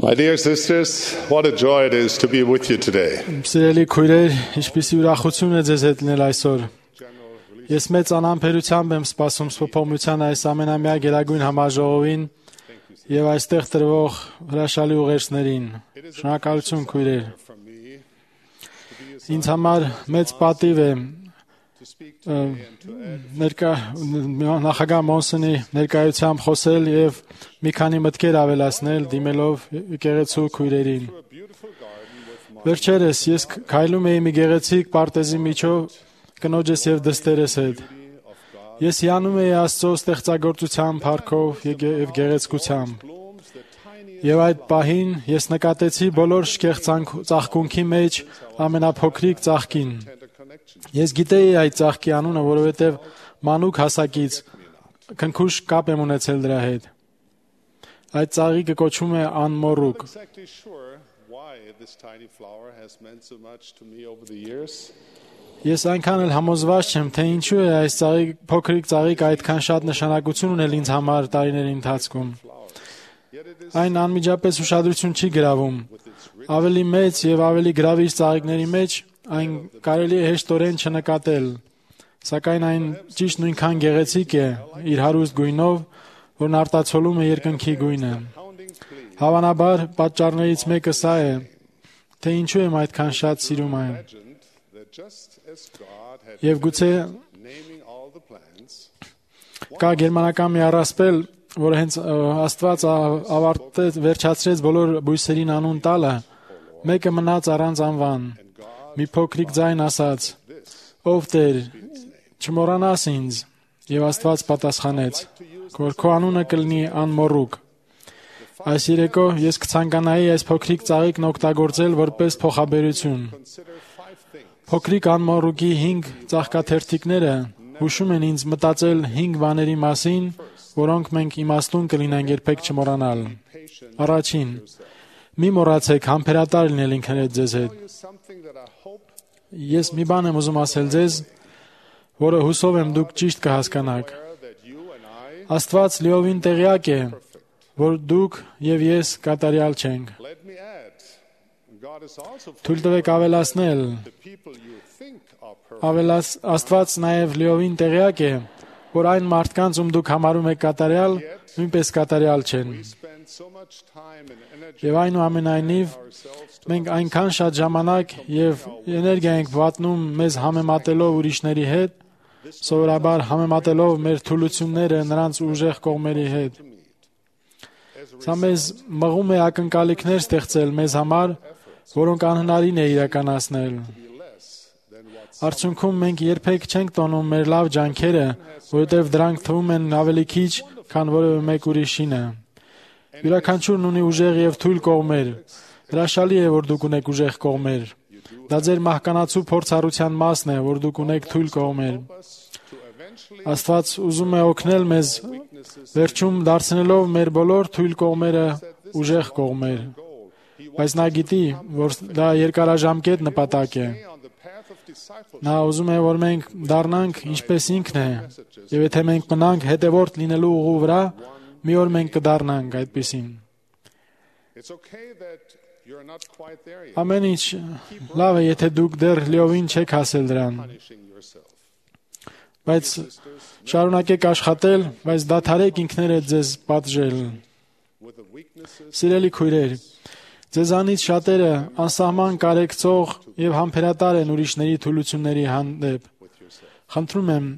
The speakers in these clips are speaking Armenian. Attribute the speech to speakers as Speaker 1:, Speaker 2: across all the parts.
Speaker 1: My dear sisters, what a joy it is to be with you today.
Speaker 2: Սիրելի քույրեր, ինչպիսի ուրախություն է ձեզ հետ լինել այսօր։ Ես մեծ անհամբերությամբ եմ սպասում Սփոփողության այս ամենամյա գերագույն համաժողովին եւ այստեղ տրվող հրաշալի ուղերձներին։ Շնորհակալություն քույրեր։ Ինձ համար մեծ պատիվ է նախագահ Մոնսոնի ներկայությամբ խոսել եւ մի քանի մտքեր ավելացնել դիմելով եկեղեցու քույրերին։ Վերջերս ես քայլում էի մի գեղեցիկ պարտեզի միջով կնոջս եւ դստերս հետ։ Ես հիանում էի Աստծո ստեղծագործության փառքով եւ գեղեցկությամբ։ Եվ այդ պահին ես նկատեցի բոլոր շքեղ ծաղկունքի մեջ ամենափոքրիկ ծաղկին։ Ես գիտեի այդ ծաղկի անունը, որովհետև մանուկ հասակից քնքուշ կապ եմ ունեցել դրա հետ։ Այդ ծաղիկը կոչվում է անմոռուկ։ Ես այնքան էլ համոզված չեմ, թե ինչու է այս փոքրիկ ծաղիկը այդքան շատ նշանակություն ունել ինձ համար տարիների ընթացքում։ Այն անմիջապես ուշադրություն չի գրավում։ Ավելի մեծ եւ ավելի գրավիչ ծաղիկների մեջ այն կարելի է հեշտորեն չնկատել, սակայն այն ճիշտ նույնքան գեղեցիկ է իր հարուստ գույնով, որն արտացոլում է երկնքի գույնը։ Հավանաբար պատճառներից մեկը սա է, թե ինչու եմ այդքան շատ սիրում այն։ Եվ գուցե կա գերմանական մի առասպել, որը հենց Աստված վերջացրեց բոլոր բույսերին անուն տալը, մեկը մնաց առանց անվան։ Մի փոքրիկ ձայն ասաց. «Ով Տեր, չմոռանաս ինձ», եւ Աստված պատասխանեց, որ քո անունը կլինի անմոռուկ։ Այս երեկո ես կցանկանայի այս փոքրիկ ծաղիկն օգտագործել որպես փոխաբերություն։ Փոքրիկ անմոռուկի 5 ծաղկաթերթիկները հուշում են ինձ մտածել 5 բաների մասին, որոնք մենք իմաստուն կլինենք երբեք չմոռանալ։ Առաջին, մի մոռացեք համբերատար լինել ինքներդ ձեզ հետ։ Ես մի բան եմ ուզում ասել ձեզ, որը հուսով եմ դուք ճիշտ կհասկանաք։ Աստված լիովին տեղյակ է, որ դուք եւ ես կատարյալ չենք։ Թույլ տվեք ավելացնել։ Աստված նաեւ լիովին տեղյակ է, որ այն մարդկանց, ում դուք համարում եք կատարյալ, նույնպես կատարյալ չեն։ Եվ այնուամենայնիվ մենք այնքան շատ ժամանակ եւ էներգիա ենք վատնում մեզ համեմատելով ուրիշների հետ, սովորաբար համեմատելով մեր թուլությունները նրանց ուժեղ կողմերի հետ։ Սա մեզ մղում է ակնկալիքներ ստեղծել մեզ համար, որոնք անհնարին է իրականացնել։ Արդյունքում մենք երբեք չենք տոնում մեր լավ ջանքերը, որովհետև դրանք թվում են ավելի քիչ, քան որևէ մեկ ուրիշինը։ Յուրաքանչյուրն ունի ուժեղ եւ թույլ կողմեր։ Հրաշալի է, որ դուք ունեք ուժեղ կողմեր։ Դա ձեր մահկանացու փորձառության մասն է, որ դուք ունեք թույլ կողմեր։ Աստված ուզում է օգնել մեզ վերջում դարձնելով մեր բոլոր թույլ կողմերը ուժեղ կողմեր։ Բայց նա գիտի, որ դա երկարաժամկետ նպատակ է։ Նա ուզում է, որ մենք դառնանք ինչպես ինքն է, եւ եթե մենք մնանք հետևորդ լինելու ուղու վրա, մի օր մենք կդառնանք այդպիսին։ Ամեն ինչ լավ է, եթե դուք դեռ լիովին չեք հասել դրան։ Բայց շարունակեք աշխատել, բայց դադարեք ինքներդ ձեզ պատժել։ Սիրելի քույրեր, ձեզանից շատերը անսահման կարեկցող եւ համբերատար են ուրիշների թուլությունների հանդեպ։ Խնդրում եմ,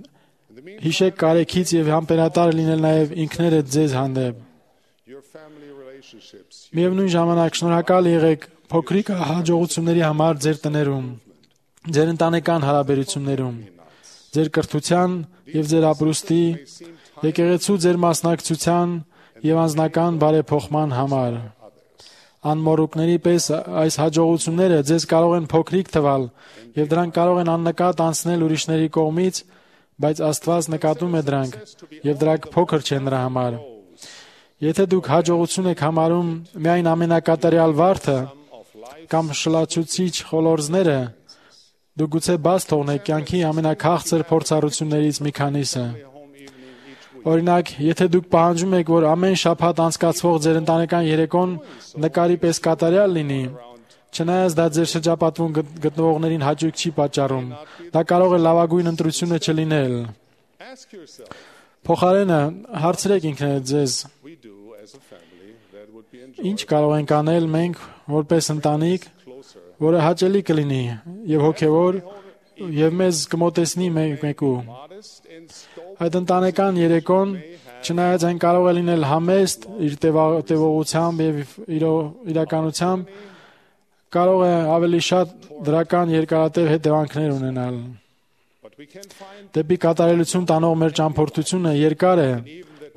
Speaker 2: հիշեք կարեկից եւ համբերատար լինել նաեւ ինքներդ ձեզ հանդեպ։ Միևնույն ժամանակ շնորհակալ եղեք փոքրիկ հաջողությունների համար ձեր տներում, ձեր ընտանեկան հարաբերություններում, ձեր կրթության եւ ձեր ապրուստի, եկեղեցու ձեր մասնակցության եւ անձնական բարեփոխման համար։ Անմոռուկների պես այս հաջողությունները ձեզ կարող են փոքրիկ թվալ եւ դրանք կարող են աննկատ անցնել ուրիշների կողմից, բայց Աստված նկատում է դրանք եւ դրանք փոքր չեն նրա համար։ Եթե դուք հաջողություն եք համարում միայն ամենակատարյալ վարդը կամ շլացուցիչ խոլորձները, դուք գուցե բաց թողնեք կյանքի ամենաքաղցր փորձառություններից մի քանիսը։ Օրինակ, եթե դուք պահանջում եք, որ ամեն շաբաթ անցկացվող ձեր ընտանեկան երեկոն նկարի պես կատարյալ լինի, չնայած դա ձեր շրջապատվում գտնվողներին հաճույք չի պատճառում, դա կարող է լավագույն ընտրությունը չլինել։
Speaker 1: Ask yourself,
Speaker 2: Փոխարենը հարցրեք ինքներդ ձեզ,
Speaker 1: we do as a family that would be
Speaker 2: ինչ կարող ենք անել մենք որպես ընտանիք,
Speaker 1: closer.
Speaker 2: որը հաճելի կլինի եւ հոգեվոր եւ մեզ կմոտեցնի մեկու։
Speaker 1: Modest in scope,
Speaker 2: Այդ ընտանեկան երեկոն, չնայած այն կարող է լինել համեստ իր տևողությամբ եւ իրականությամբ, կարող է ավելի շատ դրական երկարատև հետևանքներ ունենալ։
Speaker 1: but we can find
Speaker 2: Դեպի կատարելություն տանող մեր ճամփորդությունը երկար է,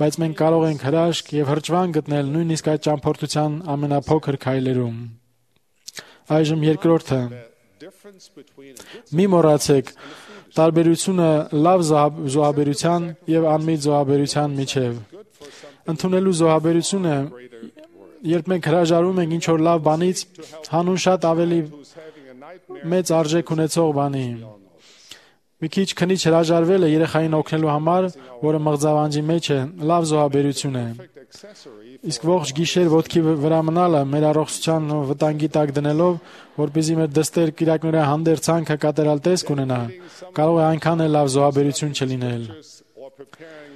Speaker 2: բայց մենք կարող ենք հրաշք եւ հրճվան գտնել նույնիսկ այդ ճամփորդության ամենափոքր քայլերում։ Այժմ երկրորդը։
Speaker 1: difference between a good
Speaker 2: Մի մոռացեք տարբերությունը լավ զոհաբերության եւ անմիտ զոհաբերության միջև։ Ընդունելու զոհաբերությունը, երբ մենք հրաժարվում ենք ինչ-որ լավ բանից, հանուն շատ ավելի
Speaker 1: who's having a nightmare
Speaker 2: մեծ արժեք ունեցող բանի։ Մի քիչ քնիչ հրաժարվելը երեխային օգնելու համար, որը մղձավանջի մեջ է, լավ զոհաբերություն է։
Speaker 1: accessory
Speaker 2: Իսկ ողջ գիշեր ոտքի վրա մնալը մեր առողջության վտանգի տակ դնելով, որպեսզի մեր դստեր կիրակնորեն հանդերձանքը կատարյալ տեսք ունենա, կարող է այնքան էլ լավ զոհաբերություն չլինել։
Speaker 1: or preparing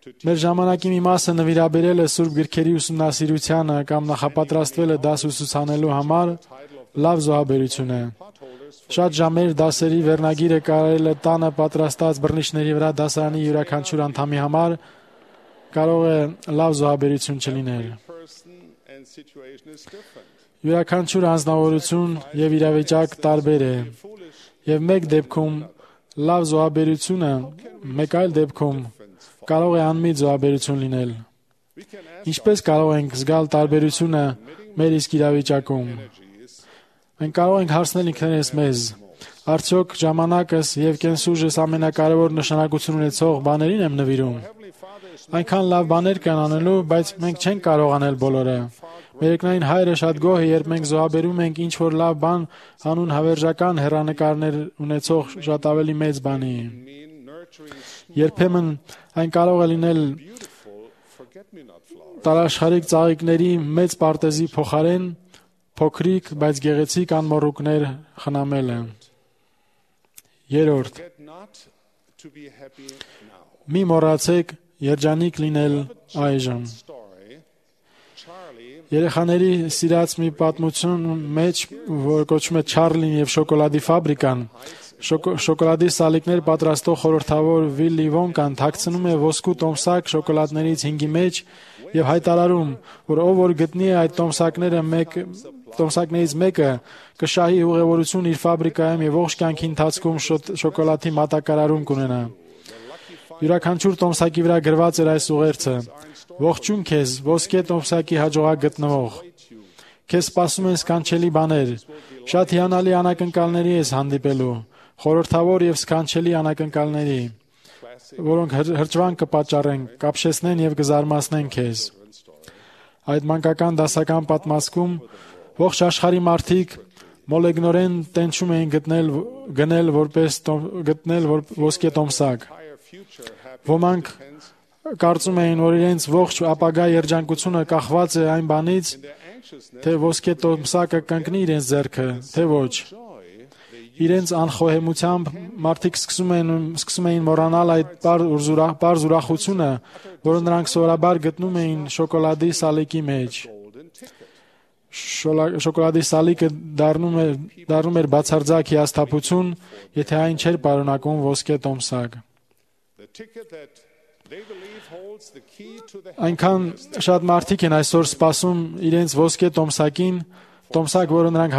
Speaker 1: to
Speaker 2: Մեր ժամանակի մի մասը նվիրաբերել է Սուրբ գրքերի ուսումնասիրությանը կամ նախապատրաստվել է դաս ուսուցանելու համար, լավ զոհաբերություն է։ Շատ ժամեր դասերի վերնագիրը կարել է տանը պատրաստած բռնիչների վրա դասարանի յուրաքանչյուր անդամի համար, կարող է լավ զոհաբերություն չլինել։
Speaker 1: person and situation is different.
Speaker 2: Յուրաքանչյուր անձնավորություն եւ իրավիճակ տարբեր է։ Եվ մեկ դեպքում լավ զոհաբերությունը, մեկ այլ դեպքում կարող է անմիտ զոհաբերություն լինել։
Speaker 1: We can ask
Speaker 2: Ինչպես կարող ենք զգալ տարբերությունը մեր իսկ իրավիճակում։ Մենք կարող ենք հարցնել ինքներս մեզ. արդյոք ժամանակս եւ կենսուժս ամենակարևոր նշանակություն ունեցող բաներին եմ նվիրում։ Այնքան լավ բաներ կան անելու, բայց մենք չենք կարող անել բոլորը։ Մերեկնային հայրը շատ գոհ է, երբ մենք զոհաբերում ենք ինչ-որ լավ բան անուն հավերժական հեռանկարներ ունեցող շատ ավելի մեծ բանի։ Երբեմն այն կարող է լինել
Speaker 1: forget-me-not flower.
Speaker 2: տարաշխարիկ ծաղիկների մեծ պարտեզի փոխարեն փոքրիկ, բայց գեղեցիկ անմոռուկներ խնամելը։ Երրորդ,
Speaker 1: Get not to be happy now.
Speaker 2: մի մոռացեք երջանիկ լինել այժմ։
Speaker 1: Story. Charlie
Speaker 2: Երեխաների սիրած մի պատմություն մեջ, որ կոչվում է Չարլին եւ շոկոլադի ֆաբրիկան, շոկոլադի սալիկներ պատրաստող խորհրդավոր Վիլլի Վոնկան թաքցնում է ոսկու տոմսակ շոկոլադներից 5-ի մեջ եւ հայտարարում, որ ով որ գտնի այդ տոմսակներից մեկը կշահի ուղևորություն իր ֆաբրիկայում եւ ողջ կյանքի ընթացքում շոկոլադի մատակարարում կունենա։ Յուրաքանչյուր տոմսակի վրա գրված էր այս ուղերձը. Ողջույն քեզ, ոսկե տոմսակի հաջողակ գտնվող։ Քեզ սպասում են սքանչելի բաներ։ Շատ հիանալի անակնկալների ես հանդիպելու, խորհրդավոր եւ սքանչելի անակնկալների, որոնք հրճվան կպատճառեն, կապշեսնեն եւ կզարմացնեն քեզ։ Այդ մանկական դասական պատմվածքում ողջ աշխարհի մարդիկ մոլեգնորեն տենչում էին գնել ոսկե տոմսակ։ Ոմանք կարծում էին, որ իրենց ողջ ապագա երջանկությունը կախված է այն բանից, թե ոսկե տոմսակը կընկնի իրենց ձեռքը, թե ոչ։ Իրենց անխոհեմությամբ մարդիկ սկսում էին մոռանալ այդ պարզ ուրախությունը, որը նրանք սովորաբար գտնում էին շոկոլադի սալիկի մեջ։ Շոկոլադի սալիկը դառնում էր բացարձակ հիասթափություն, եթե այն չէր պարունակում ոսկե տոմսակ։ Այնքան շատ մարդիկ են այսօր սպասում իրենց ոսկե տոմսակին, տոմսակ, որը նրանք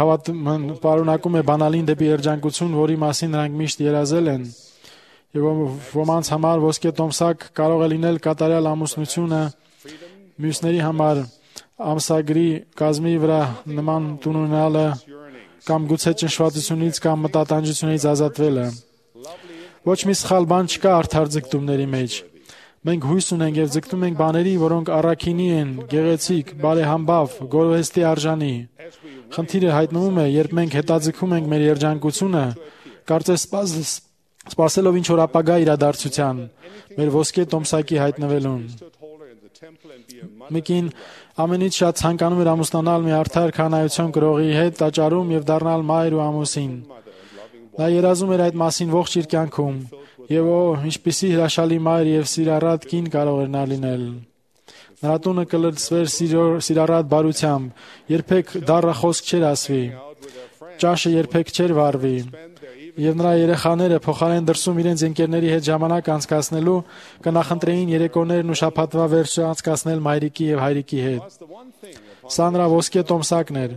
Speaker 2: պարունակում է բանալին դեպի երջանկություն, որի մասին նրանք միշտ երազել են։ Եվ ոմանց համար ոսկե տոմսակ կարող է լինել կատարյալ ամուսնությունը, մյուսների համար ամսագրի կազմի վրա նման տուն ունենալը կամ գուցե ճնշվածությունից կամ մտատանջությունից ազատվելը։ Ոչ մի սխալ բան չկա արդար ձգտումների մեջ։ Մենք հույս ունենք եւ ձգտում ենք բաների, որոնք առաքինի են, գեղեցիկ, բարեհամբավ, գովեստի արժանի։ Խնդիրը հայտնվում է, երբ մենք հետաձգում ենք մեր երջանկությունը, կարծես սպասելով ինչ որ ապագա իրադարձության, մեր ոսկե տոմսակի հայտնվելուն։ Մեկին ամենից շատ ցանկանում էր ամուսնանալ մի արդար քահանայություն կրողի հետ տաճարում եւ դառնալ մայր ու ամուսին։ Նա երազում էր այդ մասին ողջ իր կյանքում, եւ ինչպիսի հրաշալի մայր եւ սիրառատ կին կարող էր նա լինել։ Նրա տունը կլցվեր սիրառատ բարությամբ, երբեք դառը խոսք չէր ասվի, ճաշը երբեք չէր վառվի, եւ նրա երեխաները փոխարեն դրսում իրենց ընկերների հետ ժամանակ անցկացնելու կնախընտրեին երեկոներն ու շաբաթվա վերջը անցկացնել մայրիկի եւ հայրիկի հետ։ Սա նրա ոսկե տոմսակն էր։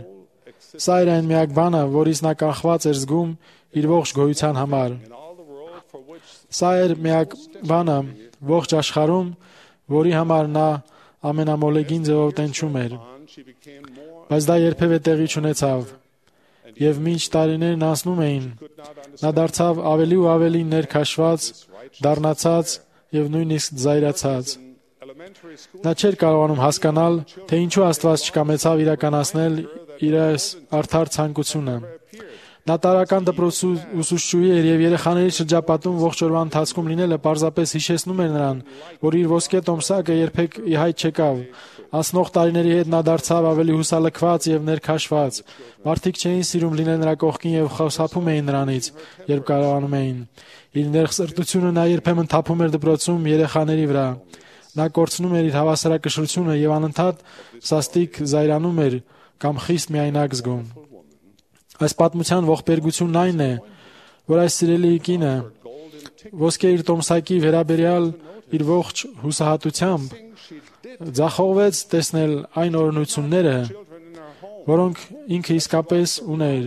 Speaker 2: Սա էր այն միակ բանը, որից նա կախված էր զգում իր ողջ գոյության համար։ Սա էր միակ բանը ողջ աշխարհում, որի համար նա ամենամոլեգին ձևով տենչում էր։ Բայց դա երբևէ տեղի չունեցավ։ Եվ մինչ տարիներն անցնում էին, նա դարձավ ավելի ու ավելի ներքաշված, դառնացած եւ նույնիսկ զայրացած։ Նա չէր կարողանում հասկանալ, թե ինչու Աստված չկամեցավ իրականացնել իր արդար ցանկությունը։ Նա տարական դպրոցի ուսուցչուհի էր եւ երեխաների շրջապատում ողջ օրվա ընթացքում լինելը պարզապես հիշեցնում էր նրան, որ իր ոսկե տոմսակը երբեք ի հայտ չեկավ։ Անցնող տարիների հետ նա դարձավ ավելի հուսալքված եւ ներքաշված։ Մարդիկ չէին սիրում լինել նրա կողքին եւ խոսափում էին նրանից, երբ կարողանում էին։ Իր ներխսրտությունը նա երբեմն թափում էր դպրոցում երեխաների վրա։ Նա կորցնում էր իր հավասարակշռությունը եւ անընդհատ սաստիկ զայրանում էր կամ խիստ միայնակ զգում։ Այս պատմության ողբերգությունն այն է, որ այս սիրելի կինը ոսկե իր տոմսակի վերաբերյալ իր ողջ հուսահատությամբ ձախողվեց տեսնել այն օրհնությունները, որոնք ինքը իսկապես ուներ։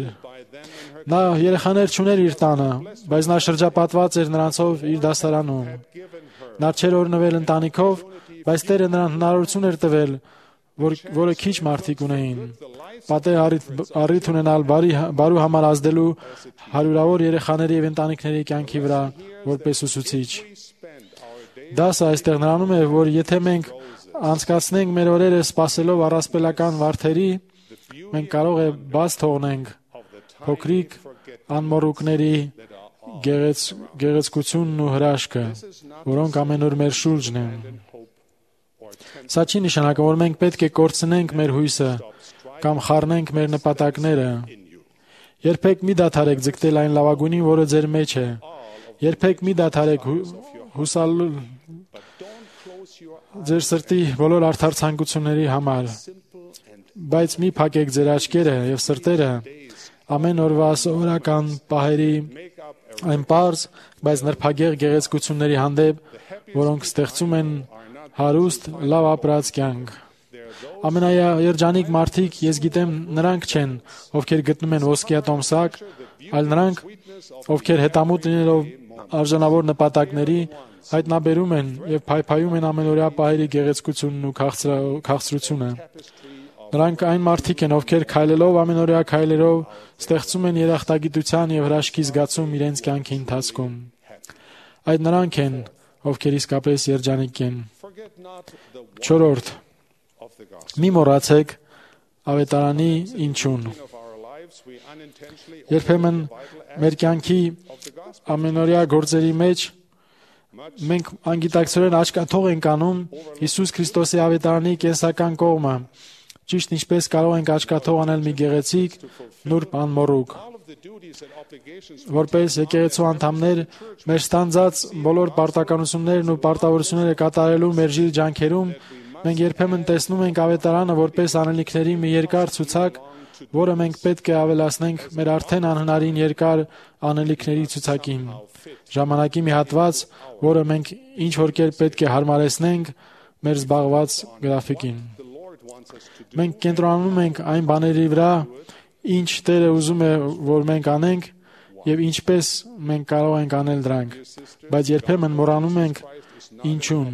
Speaker 2: Նա երեխաներ չուներ իր տանը, բայց նա շրջապատված էր նրանցով իր դասարանում։ Նա չէր օրհնվել ընտանիքով, բայց Տերը նրան հնարավորություն էր տվել, որը քիչ մարդիկ ունեին։ Պատեհ առիթ ունենալ բարու համար ազդելու հարյուրավոր երեխաների եւ ընտանիքների կյանքի վրա որպես ուսուցիչ։ Դասը այստեղ նրանում է, որ եթե մենք անցկացնենք մեր օրերը սպասելով առասպելական վարդերի, մենք կարող է բաց թողնենք փոքրիկ անմոռուկների գեղեցկությունն ու հրաշքը, որոնք ամեն օր մեր շուրջն են։ Սա չի նշանակում, որ մենք պետք է կորցնենք մեր հույսը կամ խառնենք մեր նպատակները։ Երբեք մի դադարեք ձգտել այն լավագույնին, որը ձեր մեջ է։ Երբեք մի դադարեք հուսալ ձեր սրտի բոլոր արդար ցանկությունների համար։ Բայց մի փակեք ձեր աչքերը եւ սրտերը ամեն օրվա սովորական պահերի այն պարզ, բայց նրբագեղ գեղեցկությունների հանդեպ, որոնք ստեղծում են հարուստ, լավ ապրած կյանք։ Ամենաերջանիկ մարդիկ, ես գիտեմ, նրանք չեն, ովքեր գտնում են ոսկե տոմսակ, այլ նրանք, ովքեր հետամուտ լինելով արժանավոր նպատակների, հայտնաբերում են եւ փայփայում են ամենօրյա պահերի գեղեցկությունն ու քաղցրությունը։ Նրանք այն մարդիկ են, ովքեր քայլելով ամենօրյա քայլերով ստեղծում են երախտագիտության եւ հրաշքի զգացում իրենց կյանքի ընթացքում։ Այդ նրանք են, ովքեր իսկապես երջանիկ են։ 4. Մի մոռացեք ավետարանի ինչուն։ Երբեմն մեր կյանքի ամենօրյա գործերի մեջ մենք անգիտակցորեն աչքաթող ենք անում Հիսուս Քրիստոսի ավետարանի կենսական կողմը, ճիշտ ինչպես կարող ենք աչքաթող անել մի գեղեցիկ, նուրբ անմոռուկ։ Որպես եկեղեցու անդամներ, մեր ստանձած բոլոր պարտականություններն ու պարտավորությունները կատարելու մեր ժիլ ջանքերում մենք երբեմն տեսնում ենք ավետարանը որպես անելիքների մի երկար ցուցակ, որը մենք պետք է ավելացնենք մեր արդեն անհնարին երկար անելիքների ցուցակին։ Ժամանակի մի հատված, որը մենք ինչ որ կերպ պետք է հարմարեցնենք մեր զբաղված գրաֆիկին։ Մենք կենտրոնանում ենք այն բաների վրա, ինչ Տերը ուզում է, որ մենք անենք եւ ինչպես մենք կարող ենք անել դրանք, բայց երբեմն մոռանում ենք ինչուն։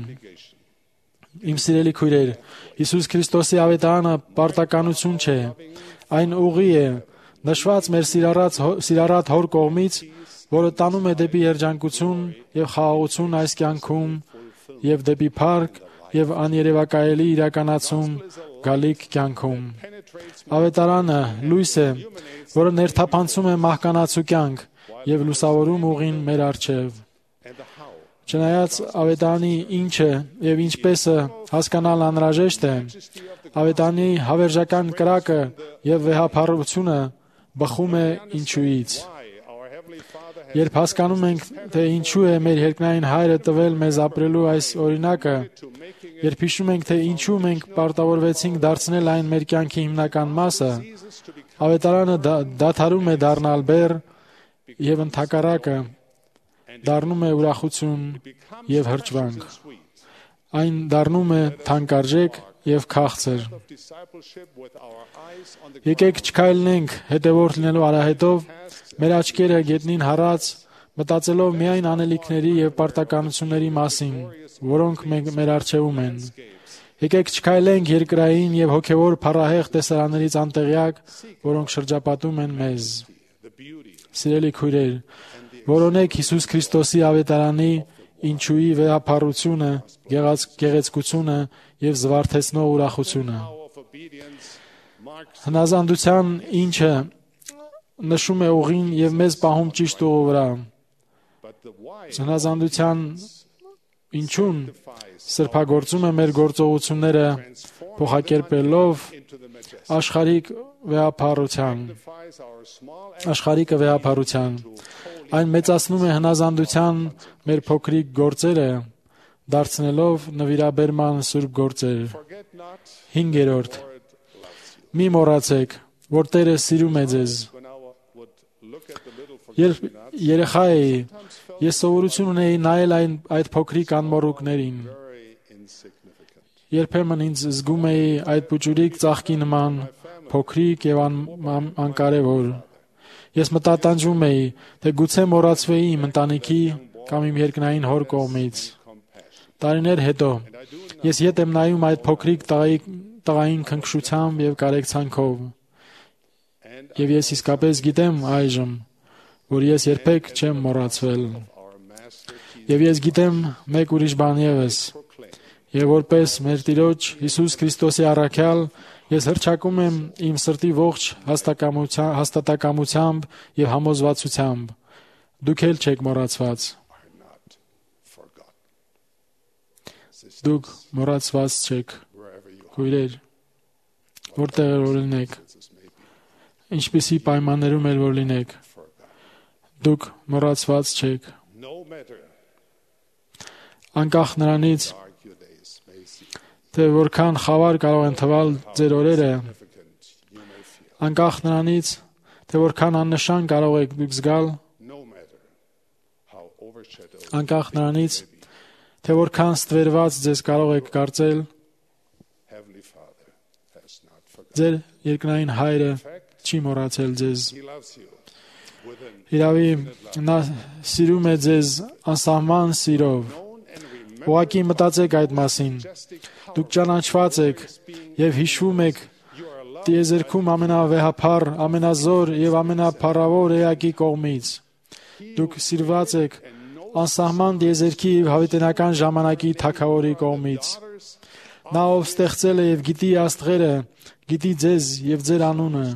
Speaker 2: Իմ սիրելի քույրեր, Հիսուս Քրիստոսի ավետարանը պարտականություն չէ, այն ուղի է, նշված մեր սիրառատ Հոր կողմից, որը տանում է դեպի երջանկություն եւ խաղաղություն այս կյանքում եւ դեպի փառք եւ աներևակայելի իրականացում գալիք կյանքում։ Ավետարանը լույս է, որը ներթափանցում է մահկանացու կյանք եւ լուսավորում ուղին մեր առջև։ Չնայած ավետարանի ինչը եւ ինչպեսը հասկանալ անհրաժեշտ է, ավետարանի հավերժական կրակը եւ վեհափառությունը բխում է ինչուից։ Երբ հասկանում ենք, թե ինչու է մեր երկնային Հայրը տվել մեզ ապրելու այս օրինակը, երբ հիշում ենք, թե ինչու մենք պարտավորվեցինք դարձնել այն մեր կյանքի հիմնական մասը, ավետարանը դադարում է դառնալ բեռ եւ ընդհակառակը դառնում է ուրախություն եւ հրճվանք։ Այն դառնում է թանկարժեք եւ քաղցր։ Եկեք չքայլենք հետևորդ լինելու արահետով, մեր աչքերը գետնին հառած, մտածելով միայն անելիքների եւ պարտականությունների մասին, որոնք մեր առջևում են։ Եկեք չքայլենք երկրային եւ հոգեվոր փառահեղ տեսարաններից անտեղյակ, որոնք շրջապատում են մեզ։ Սիրելի քույրեր, որոնեք Հիսուս Քրիստոսի ավետարանի ինչուի վեհափառությունը, գեղեցկությունը եւ զվարթեցնող ուրախությունը։ Հնազանդության ինչը նշում է ուղին եւ մեզ պահում ճիշտ ուղու վրա։ Հնազանդության ինչուն սրբագործում է մեր գործողությունները փոխակերպելով աշխարհիկը վեհափառության։ Այն մեծացնում է հնազանդության մեր փոքրիկ գործերը, դարձնելով նվիրաբերման սուրբ գործեր։ 5. Մի մոռացեք, որ Տերը սիրում է ձեզ։ Երբ երեխա էի, ես սովորություն ունեի նայել այդ փոքրիկ անմոռուկներին։ Երբեմն ինձ զգում էի այդ փուճուրիկ ծաղկի նման, փոքրիկ եւ անկարևոր։ Ես մտատանջում էի, թե գուցե մոռացվեի իմ ընտանիքի կամ իմ երկնային հոր կողմից։ Տարիներ հետո ես ետ եմ նայում այդ փոքրիկ տղային քնքշությամբ եւ կարեկցանքով։ Եվ ես իսկապես գիտեմ այժմ, որ ես երբեք չեմ մոռացվել։ Եվ ես գիտեմ մեկ ուրիշ բան եւս։ Եվ որպես մեր Տիրոջ Հիսուս Քրիստոսի առաքյալ, ես հռչակում եմ իմ սրտի ողջ հաստատակամությամբ եւ համոզվածությամբ. դուք էլ չեք մոռացված։ Դուք մոռացված չեք, քույրեր, որտեղ որ լինեք, ինչպիսի պայմաններում էլ որ լինեք, դուք մոռացված չեք։ Անկախ նրանից, թե որքան խավար կարող են թվալ ձեր օրերը, անկախ նրանից, թե որքան աննշան կարող եք դուք զգալ, անկախ նրանից, թե որքան ստվերված ձեզ կարող եք կարծել, ձեր երկնային Հայրը չի մոռացել ձեզ։ Իրավի, նա սիրում է ձեզ անսահման սիրով։ Ուղղակի մտածեք այդ մասին։ Դուք ճանաչված եք եւ հիշվում եք տիեզերքում ամենավեհափառ, ամենազոր եւ ամենափառավոր էակի կողմից։ Դուք սիրված եք անսահման տիեզերքի հավիտենական ժամանակի թագավորի կողմից։ Նա ով ստեղծել է եւ գիտի աստղերը, գիտի ձեզ եւ ձեր անունը։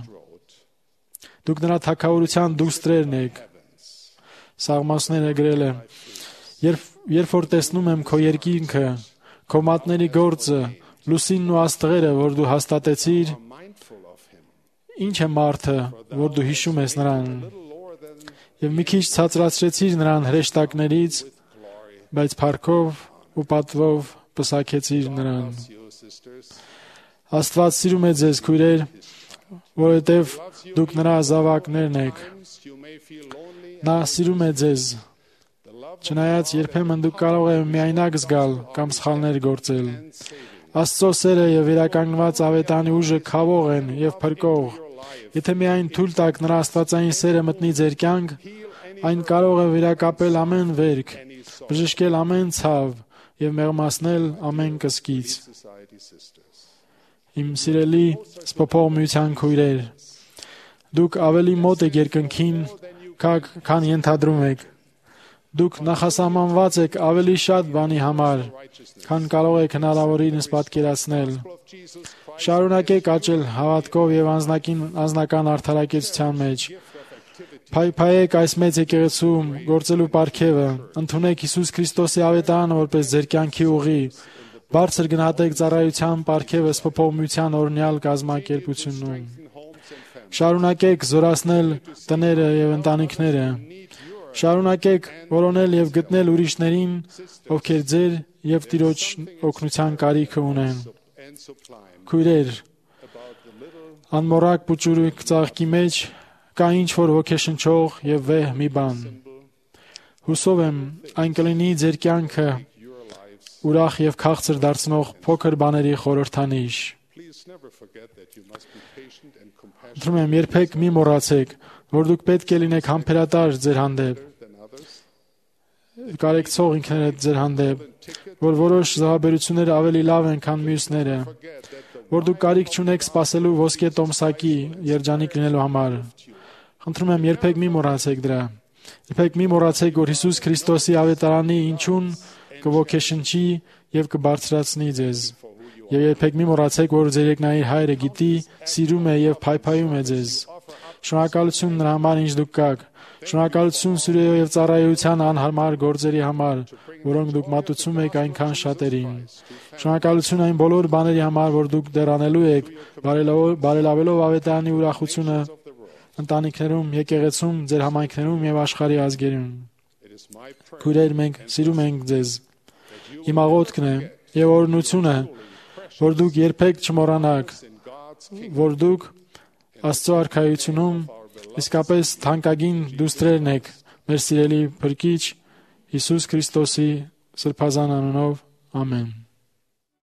Speaker 2: Դուք նրա թագավորության դուստրերն եք։ Սաղմոսները գրել է. Երբ որ տեսնում եմ քո երկինքը, քո մատների գործը, լուսինն ու աստղերը, որ դու հաստատեցիր, ինչ է մարդը, որ դու հիշում ես նրան։ Եվ մի քիչ ցածրացրեցիր նրան հրեշտակներից, բայց փառքով ու պատվով պսակեցիր նրան։ Աստված սիրում է ձեզ, քույրեր, որովհետև դուք նրա զավակներն եք։ Նա սիրում է ձեզ։ Չնայած երբեմն դուք կարող եք միայնակ զգալ կամ սխալներ գործել։ Աստծո սերը եւ վերականգնված ավետարանի ուժը քավող են եւ փրկող։ Եթե միայն թույլ տաք նրա աստվածային սերը մտնի ձեր կյանք, այն կարող է վերակապել ամեն վերք, բժշկել ամեն ցավ եւ մեղմացնել ամեն կսկիծ։ Իմ սիրելի սփոփող միության քույրեր, դուք ավելի մոտ եք երկնքին, քան ենթադրում եք։ Դուք նախասահմանված եք ավելի շատ բանի համար, քան կարող եք հնարավորինս պատկերացնել։ Շարունակեք աճել հավատքով եւ անձնական արդարակեցության մեջ։ Փայփայեք այս մեծ եկեղեցում գործելու պարգևը, ընդունեք Հիսուս Քրիստոսի ավետարանը որպես ձեր կյանքի ուղի, բարձր գնահատեք ծառայության պարգևը սփոփողության օրհնյալ կազմակերպությունում։ Շարունակեք զորացնել տները եւ ընտանիքները։ Շարունակեք որոնել եւ գտնել ուրիշներին, ովքեր ձեր եւ Տիրոջ օգնության կարիքը ունեն։ Քույրեր, անմոռաք փուճուրիկ ծաղկի մեջ կա ինչ-որ ոգեշնչող եւ վեհ մի բան։ Հուսով եմ, այն կլինի ձեր կյանքը ուրախ եւ քաղցր դարձնող փոքր բաների խորհրդանիշ։ Խնդրում եմ, երբեք մի մոռացեք, որ դուք պետք է լինեք համբերատար ձեր հանդեպ, կարեկցող ինքներդ ձեր հանդեպ, որ որոշ զոհաբերությունները ավելի լավ են, քան մյուսները, որ դուք կարիք չունեք սпасելու ոսկե տոմսակի երջանիկ լինելու համար։ Խնդրում եմ, երբեք մի մոռացեք դրա։ Երբեք մի մոռացեք, որ Հիսուս Քրիստոսի ավետարանի ինչուն կոգեշնչի եւ կբարձրացնի ձեզ։ Եվ երբեք մի մոռացեք, որ ձեր երկնային Հայրը գիտի, սիրում է եւ փայփայում է ձեզ։ Շնորհակալություն նրա համար, ինչ դուք կաք։ Շնորհակալություն սիրո եւ ծառայության անհարմար գործերի համար, որոնք դուք մատուցում եք այնքան շատերին։ Շնորհակալություն այն բոլոր բաների համար, որ դուք դեռ անելու եք, բարելավելով ավետարանի ուրախությունը ընտանիքներում, եկեղեցում, ձեր համայնքներում եւ աշխարհի ազգերում։ Քույրեր, մենք սիրում ենք ձեզ։ Իմ աղոթքն է եւ օրհնությունը, որ դուք երբեք չմոռանաք, որ դուք Աստծո արքայությունում իսկապես թանկագին դուստրերն եք մեր սիրելի Փրկիչ Հիսուս Քրիստոսի սրբազան անունով։ Ամեն։